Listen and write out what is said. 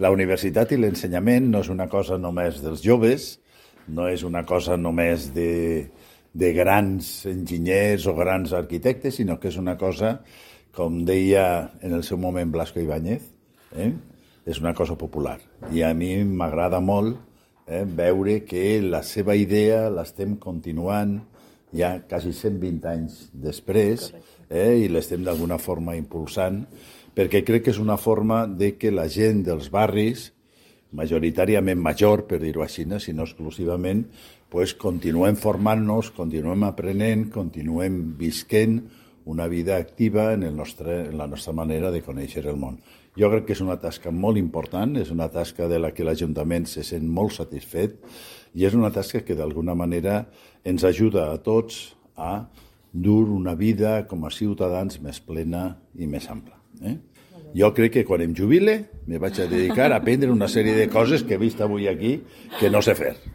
la universitat i l'ensenyament no és una cosa només dels joves, no és una cosa només de grans enginyers o grans arquitectes, sinó que és una cosa, com deia en el seu moment Blasco Ibáñez, és una cosa popular. I a mi m'agrada molt veure que la seva idea l'estem continuant ja quasi 120 anys després i l'estem d'alguna forma impulsant, perquè crec que és una forma de que la gent dels barris, majoritàriament major, per dir-ho així, sinó exclusivament, continuem formant-nos, continuem aprenent, continuem visquent una vida activa en la nostra manera de conèixer el món. Jo crec que és una tasca molt important, és una tasca de la que l'Ajuntament se sent molt satisfet i és una tasca que d'alguna manera ens ajuda a tots a dur una vida com a ciutadans més plena i més ampla. Jo crec que quan em jubile me vaig a dedicar a aprendre una sèrie de coses que he vist avui aquí que no sé fer.